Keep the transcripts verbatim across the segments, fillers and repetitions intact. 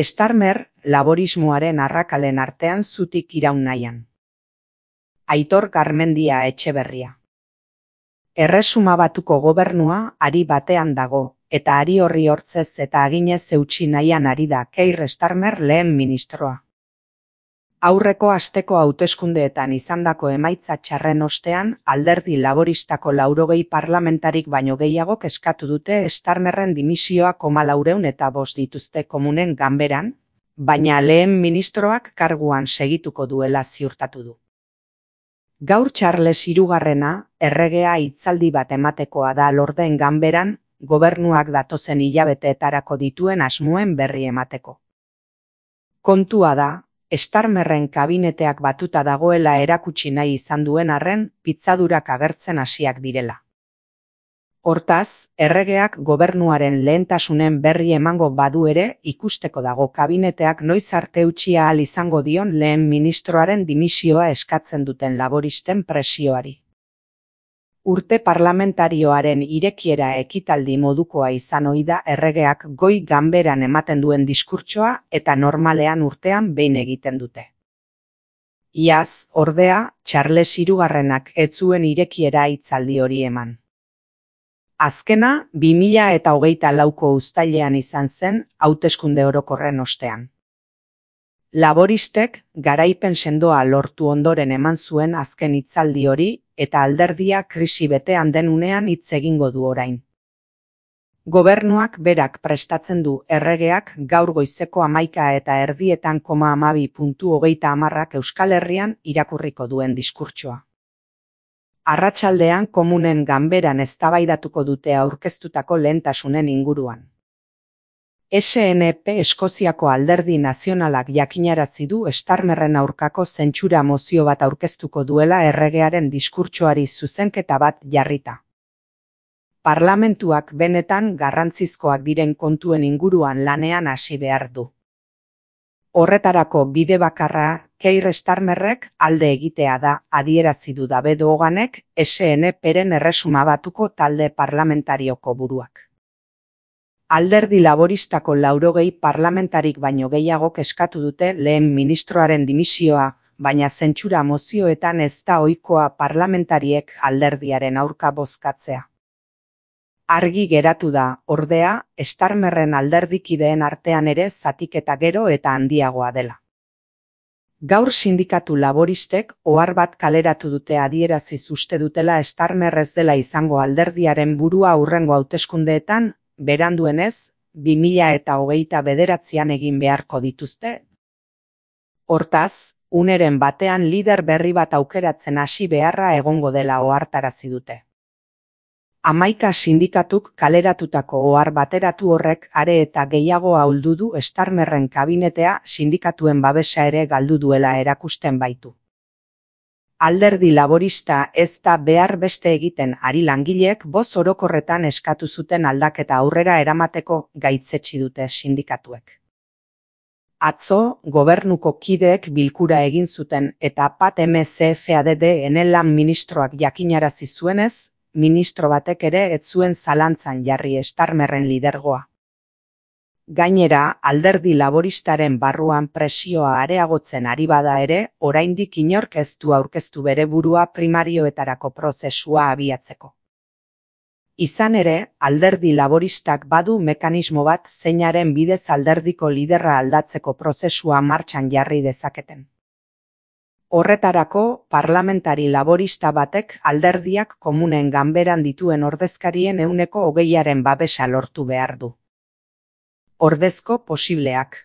Starmer laborismoaren arrakalen artean zutik iraun nahian. Aitor Garmendia Etxeberria. Erresuma Batuko gobernua ari batean dago, eta ari horri hortzez eta aginez eutsi nahian ari da Keir Starmer lehen ministroa. Aurreko asteko hauteskundeetan izandako emaitza txarren ostean, alderdi laboristako laurogei parlamentarik baino gehiagok eskatu dute Starmerren dimisioa koma laureun eta bost dituzte komunen ganberan, baina lehen ministroak karguan segituko duela ziurtatu du. Gaur Charles hirugarrena erregea hitzaldi bat ematekoa da Lordeen ganberan, gobernuak datozen hilabeteetarako dituen asmoen berri emateko. Kontua da, Starmerren kabineteak batuta dagoela erakutsi nahi izan duen arren, pitzadurak agertzen hasiak direla. Hortaz, erregeak gobernuaren lehentasunen berri emango badu ere, ikusteko dago kabineteak noiz arte eutsi ahal izango dion lehen ministroaren dimisioa eskatzen duten laboristen presioari. Urte parlamentarioaren irekiera ekitaldi modukoa izan ohi da erregeak goi ganberan ematen duen diskurtsoa eta normalean urtean behin egiten dute. Iaz, ordea, Charles hirugarrenak ez zuen irekiera hitzaldi hori eman. Azkena, bi mila eta hogeita lauko uztailean izan zen, hauteskunde orokorren ostean. Laboristek garaipen sendoa lortu ondoren eman zuen azken hitzaldi hori, eta alderdia krisi betean den unean hitz egingo du orain. Gobernuak berak prestatzen du erregeak gaur goizeko hamaika eta erdietan koma hamabi puntu hogeita hamarrak Euskal Herrian irakurriko duen diskurtsoa. Arratsaldean komunen ganberan eztabaidatuko dute aurkeztutako lehentasunen inguruan. S N P Eskoziako Alderdi Nazionalak jakinarazi du Starmerren aurkako zentsura mozio bat aurkeztuko duela erregearen diskurtsoari zuzenketa bat jarrita. Parlamentuak benetan garrantzizkoak diren kontuen inguruan lanean hasi behar du. Horretarako bide bakarra Keir Starmerrek alde egitea da, adierazi du David Hoganek S N Pren Erresuma Batuko talde parlamentarioko buruak. Alderdi laboristako laurogei parlamentarik baino gehiagok eskatu dute lehen ministroaren dimisioa, baina zentsura mozioetan ez da ohikoa parlamentariek alderdiaren aurka bozkatzea. Argi geratu da, ordea, Starmerren alderdikideen artean ere zatiketa gero eta handiagoa dela. Gaur sindikatu laboristek ohar bat kaleratu dute adieraziz uste dutela Starmer ez dela izango alderdiaren burua hurrengo hauteskundeetan, beranduenez, bi mila eta hogeita bederatzian egin beharko dituzte. Hortaz, uneren batean lider berri bat aukeratzen hasi beharra egongo dela ohartarazi dute. Hamaika sindikatuk kaleratutako ohar bateratu horrek are eta gehiago ahuldu du Starmerren kabinetea sindikatuen babesa ere galdu duela erakusten baitu. Alderdi laborista ez da behar beste egiten ari langileek boz orokorretan eskatu zuten aldaketa aurrera eramateko gaitzetsi dute sindikatuek. Atzo, gobernuko kideek bilkura egin zuten eta Pat M C F A D D-en lan ministroak jakinarazi zuenez, ministro batek ere ez zuen zalantzan jarri Starmerren lidergoa. Gainera, alderdi laboristaren barruan presioa areagotzen ari bada ere, oraindik inork ez du aurkeztu bere burua primarioetarako prozesua abiatzeko. Izan ere, alderdi laboristak badu mekanismo bat zeinaren bidez alderdiko liderra aldatzeko prozesua martxan jarri dezaketen. Horretarako, parlamentari laborista batek alderdiak komunen ganberan dituen ordezkarien ehuneko hogeiaren babesa lortu behar du. Ordezko posibleak.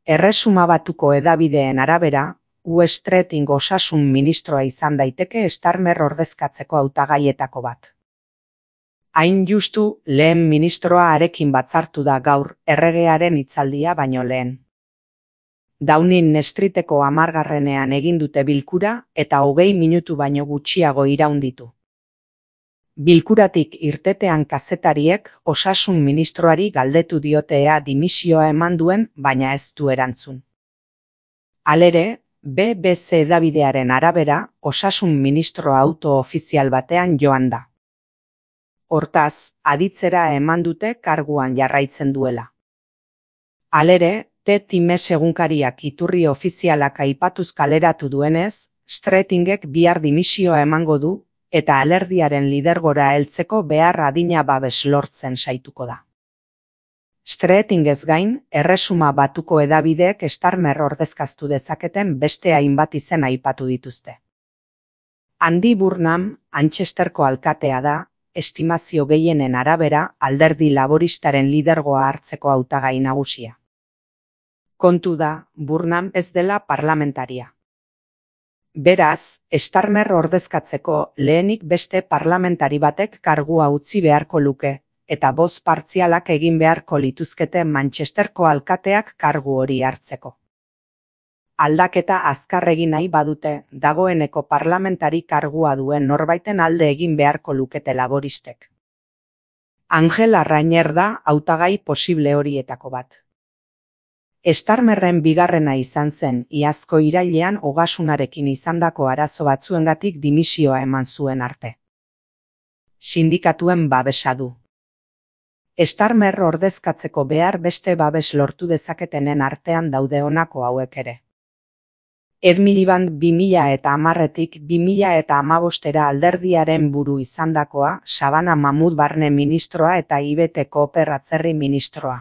Erresuma Batuko hedabideen arabera, U Streeting osasun ministroa izan daiteke Starmer ordezkatzeko hautagaietako bat. Hain justu, lehen ministroa harekin batzartu da gaur erregearen hitzaldia baino lehen. Downing Streeteko hamargarrenean egin dute bilkura eta hogei minutu baino gutxiago iraun ditu. Bilkuratik irtetean kazetariek osasun ministroari galdetu diotea dimisioa eman duen, baina ez du erantzun. Halere, B B C hedabidearen arabera, osasun ministro auto ofizial batean joan da. Hortaz, aditzera eman dute karguan jarraitzen duela. Halere, The Times egunkariak iturri ofizialak aipatuz kaleratu duenez, Streetingek bihar dimisioa emango du, eta alerdiaren lidergora heltzeko behar adina babes lortzen saituko da. Streetingez gain, Erresuma Batuko hedabideek Starmer ordezkaztu dezaketen beste hainbat izen aipatu dituzte. Andy Burnham, Manchesterko alkatea da, estimazio gehienen arabera, alderdi laboristaren lidergoa hartzeko hautagai nagusia. Kontu da, Burnham ez dela parlamentaria. Beraz, Starmer ordezkatzeko lehenik beste parlamentari batek kargua utzi beharko luke, eta boz partzialak egin beharko lituzkete Manchesterko alkateak kargu hori hartzeko. Aldaketa azkar egin nahi badute, dagoeneko parlamentari kargua duen norbaiten alde egin beharko lukete laboristek. Angela Rayner da hautagai posible horietako bat. Starmerren bigarrena izan zen, iazko irailean ogasunarekin izandako arazo batzuengatik dimisioa eman zuen arte. Sindikatuen babesa du. Starmer ordezkatzeko behar beste babes lortu dezaketenen artean daude honako hauek ere. Ed Miliband bi mila eta hamarretik bi mila eta hamabostera alderdiaren buru izandakoa, Sabana Mahmoud barne ministroa eta Ibete Cooper atzerri ministroa.